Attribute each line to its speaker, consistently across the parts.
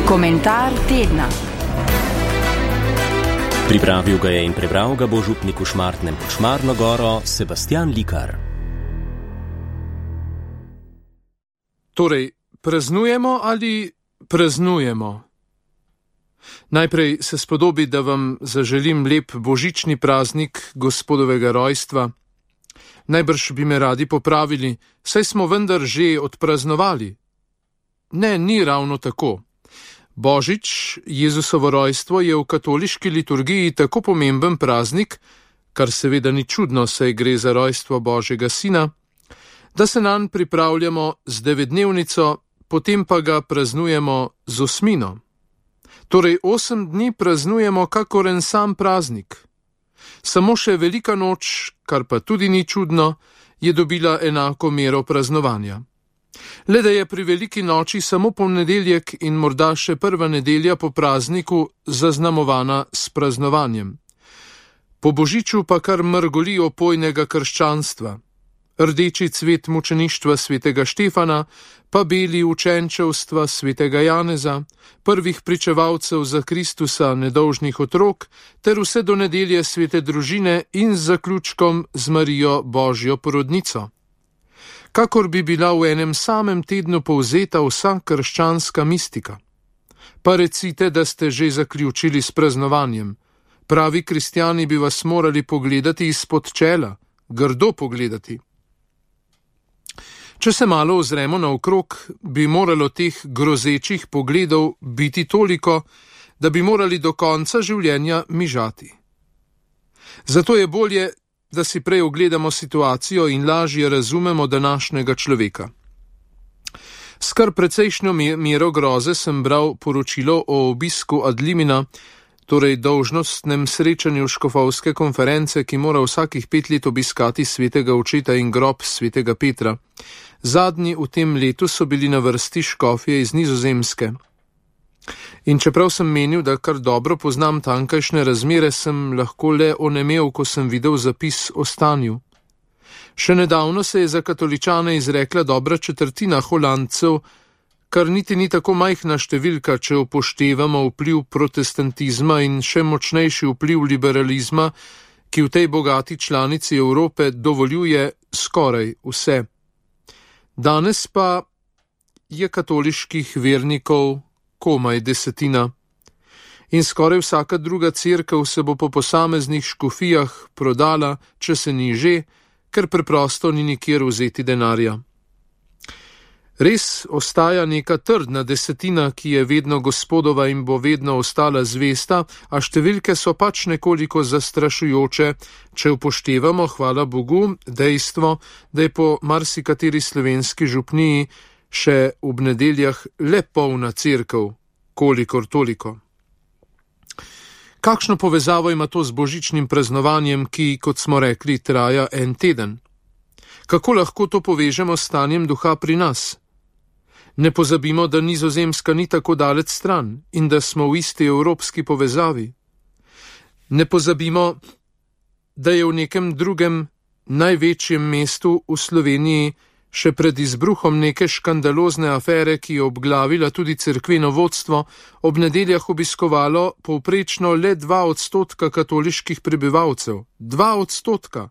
Speaker 1: Komentar tedna.
Speaker 2: Pripravil ga je in prebral ga bo župnik v Šmartnem pod Šmarno goro Sebastian Likar.
Speaker 3: Torej, praznujemo ali praznujemo? Najprej se spodobi, da vam zaželim lep božični praznik Gospodovega rojstva. Najbrž bi me radi popravili, saj smo vendar že odpraznovali. Ne, ni ravno tako. Božič, Jezusovo rojstvo, je v katoliški liturgiji tako pomemben praznik, kar seveda ni čudno, saj gre za rojstvo Božjega sina, da se nanj pripravljamo z 9-dnevnico, potem pa ga praznujemo z osmino. Torej 8 dni praznujemo kakor en sam praznik. Samo še velika noč, kar pa tudi ni čudno, je dobila enako mero praznovanja. Le da je pri veliki noči samo ponedeljek in morda še prva nedelja po prazniku zaznamovana s praznovanjem. Po božiču pa kar mrgoli opojnega krščanstva. Rdeči cvet mučeništva svetega Štefana, pa beli učenčevstva svetega Janeza, prvih pričevalcev za Kristusa nedolžnih otrok, ter vse do nedelje svete družine in z zaključkom z Marijo Božjo porodnico. Kakor bi bila v enem samem tednu povzeta vsa krščanska mistika. Pa recite, da ste že zaključili s praznovanjem. Pravi kristjani bi vas morali pogledati izpod čela, grdo pogledati. Če se malo ozremo naokrog, bi moralo teh grozečih pogledov biti toliko, da bi morali do konca življenja mižati. Zato je bolje, da si prej ogledamo situacijo in lažje razumemo današnjega človeka. S kar precejšnjo mero groze sem bral poročilo o obisku ad limina, torej dolžnostnem srečanju škofovske konference, ki mora vsakih 5 let obiskati svetega očeta in grob svetega Petra. Zadnji v tem letu so bili na vrsti škofje iz Nizozemske. In čeprav sem menil, da kar dobro poznam tankajšnje razmere, sem lahko le onemel, ko sem videl zapis o stanju. Še nedavno se je za katoličane izrekla dobra četrtina Holandcev, kar niti ni tako majhna številka, če upoštevamo vpliv protestantizma in še močnejši vpliv liberalizma, ki v tej bogati članici Evrope dovoljuje skoraj vse. Danes pa je katoliških vernikov komaj 10. In skoraj vsaka druga cerkev se bo po posameznih škofijah prodala, če se ni že, ker preprosto ni nikjer vzeti denarja. Res ostaja neka trdna 10, ki je vedno Gospodova in bo vedno ostala zvesta, a številke so pač nekoliko zastrašujoče, če upoštevamo, hvala Bogu, dejstvo, da je po marsikateri slovenski župniji še ob nedeljah le polna cerkev, kolikor toliko. Kakšno povezavo ima to z božičnim praznovanjem, ki, kot smo rekli, traja en teden? Kako lahko to povežemo s stanjem duha pri nas? Ne pozabimo, da Nizozemska ni tako daleč stran in da smo v isti evropski povezavi. Ne pozabimo, da je v nekem drugem največjem mestu v Sloveniji še pred izbruhom neke škandalozne afere, ki je obglavila tudi cerkveno vodstvo, ob nedeljah obiskovalo povprečno le 2% katoliških prebivalcev. 2%!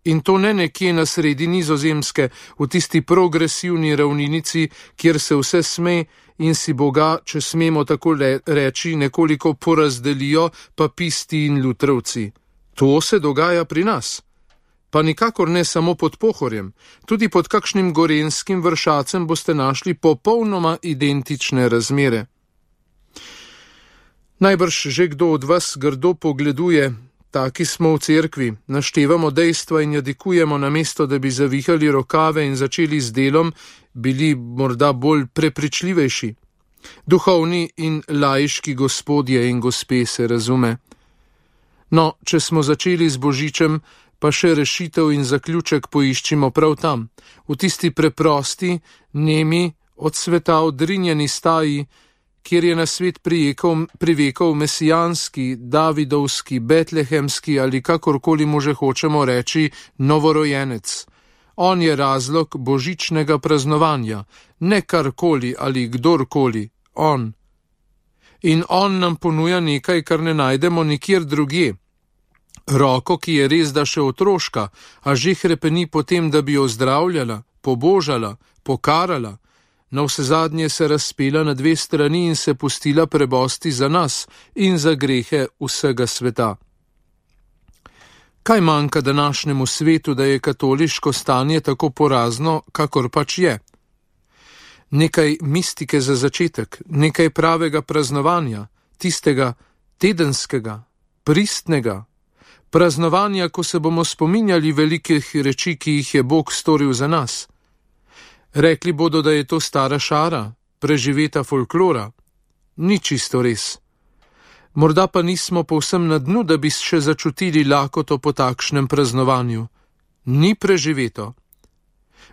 Speaker 3: In to ne nekje na sredi Nizozemske, v tisti progresivni ravninici, kjer se vse sme in si Boga, če smemo tako reči, nekoliko porazdelijo papisti in lutrovci. To se dogaja pri nas. Pa nikakor ne samo pod Pohorjem, tudi pod kakšnim gorenjskim Vršacem boste našli popolnoma identične razmere. Najbrž že kdo od vas grdo pogleduje, taki smo v cerkvi, naštevamo dejstva in jadikujemo, namesto da bi zavihali rokave in začeli z delom, bili morda bolj prepričljivejši. Duhovni in laiški gospodje in gospe se razume. No, če smo začeli z božičem, pa še rešitev in zaključek poiščimo prav tam, v tisti preprosti, nemi, od sveta odrinjeni staji, kjer je na svet privekal mesijanski, davidovski, betlehemski ali kakorkoli mu že hočemo reči novorojenec. On je razlog božičnega praznovanja, ne karkoli ali kdorkoli, on, in on nam ponuja nekaj, kar ne najdemo nikjer drugje. Roko, ki je res da še otroška, a že hrepeni potem, da bi jo zdravljala, pobožala, pokarala, navsezadnje se razpela na 2 strani in se pustila prebosti za nas in za grehe vsega sveta. Kaj manjka današnjemu svetu, da je katoliško stanje tako porazno, kakor pač je? Nekaj mistike za začetek, nekaj pravega praznovanja, tistega tedenskega, pristnega, praznovanja, ko se bomo spominjali velikih reči, ki jih je Bog storil za nas. Rekli bodo, da je to stara šara, preživeta folklora. Ni čisto res. Morda pa nismo povsem na dnu, da bi še začutili lakoto po takšnem praznovanju. Ni preživeto.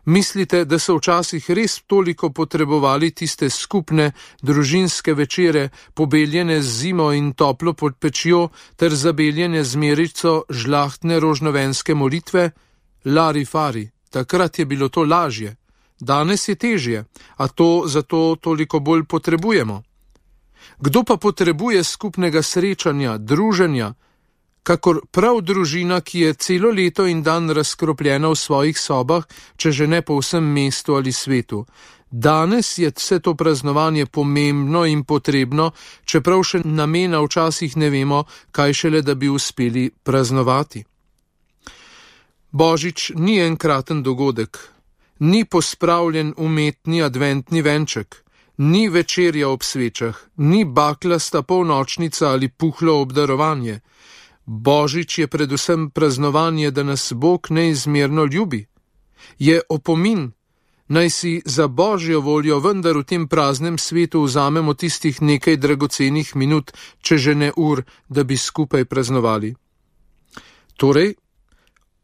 Speaker 3: Mislite, da so včasih res toliko potrebovali tiste skupne družinske večere, pobeljene z zimo in toplo pod pečjo, ter zabeljene z merico žlahtne rožnovenske molitve? Lari fari, takrat je bilo to lažje. Danes je težje, a to zato toliko bolj potrebujemo. Kdo pa potrebuje skupnega srečanja, druženja, kakor prav družina, ki je celo leto in dan razkropljena v svojih sobah, če že ne po vsem mestu ali svetu. Danes je vse to praznovanje pomembno in potrebno, čeprav še namena včasih ne vemo, kaj šele da bi uspeli praznovati. Božič ni enkraten dogodek, ni pospravljen umetni adventni venček, ni večerja ob svečah, ni baklasta polnočnica ali puhlo obdarovanje. Božič je predvsem praznovanje, da nas Bog neizmerno ljubi. Je opomin, naj si za Božjo voljo vendar v tem praznem svetu vzamemo tistih nekaj dragocenih minut, če že ne ur, da bi skupaj praznovali. Torej,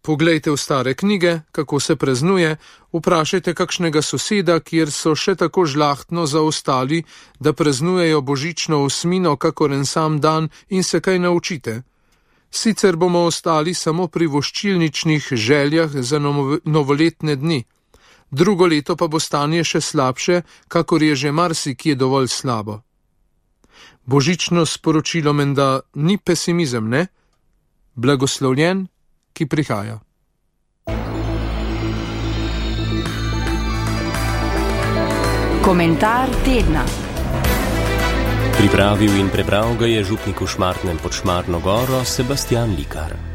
Speaker 3: poglejte v stare knjige, kako se praznuje, vprašajte kakšnega soseda, kjer so še tako žlahtno zaostali, da praznujejo božično osmino kakor en sam dan in se kaj naučite. Sicer bomo ostali samo pri voščilničnih željah za novoletne dni. Drugo leto pa bo stanje še slabše, kakor je že marsikje dovolj slabo. Božično sporočilo menda ni pesimizem, ne? Blagoslovljen, ki prihaja.
Speaker 1: Komentar tedna.
Speaker 2: Pripravil in prebral ga je župnik v Šmartnem pod Šmarno goro Sebastijan Likar.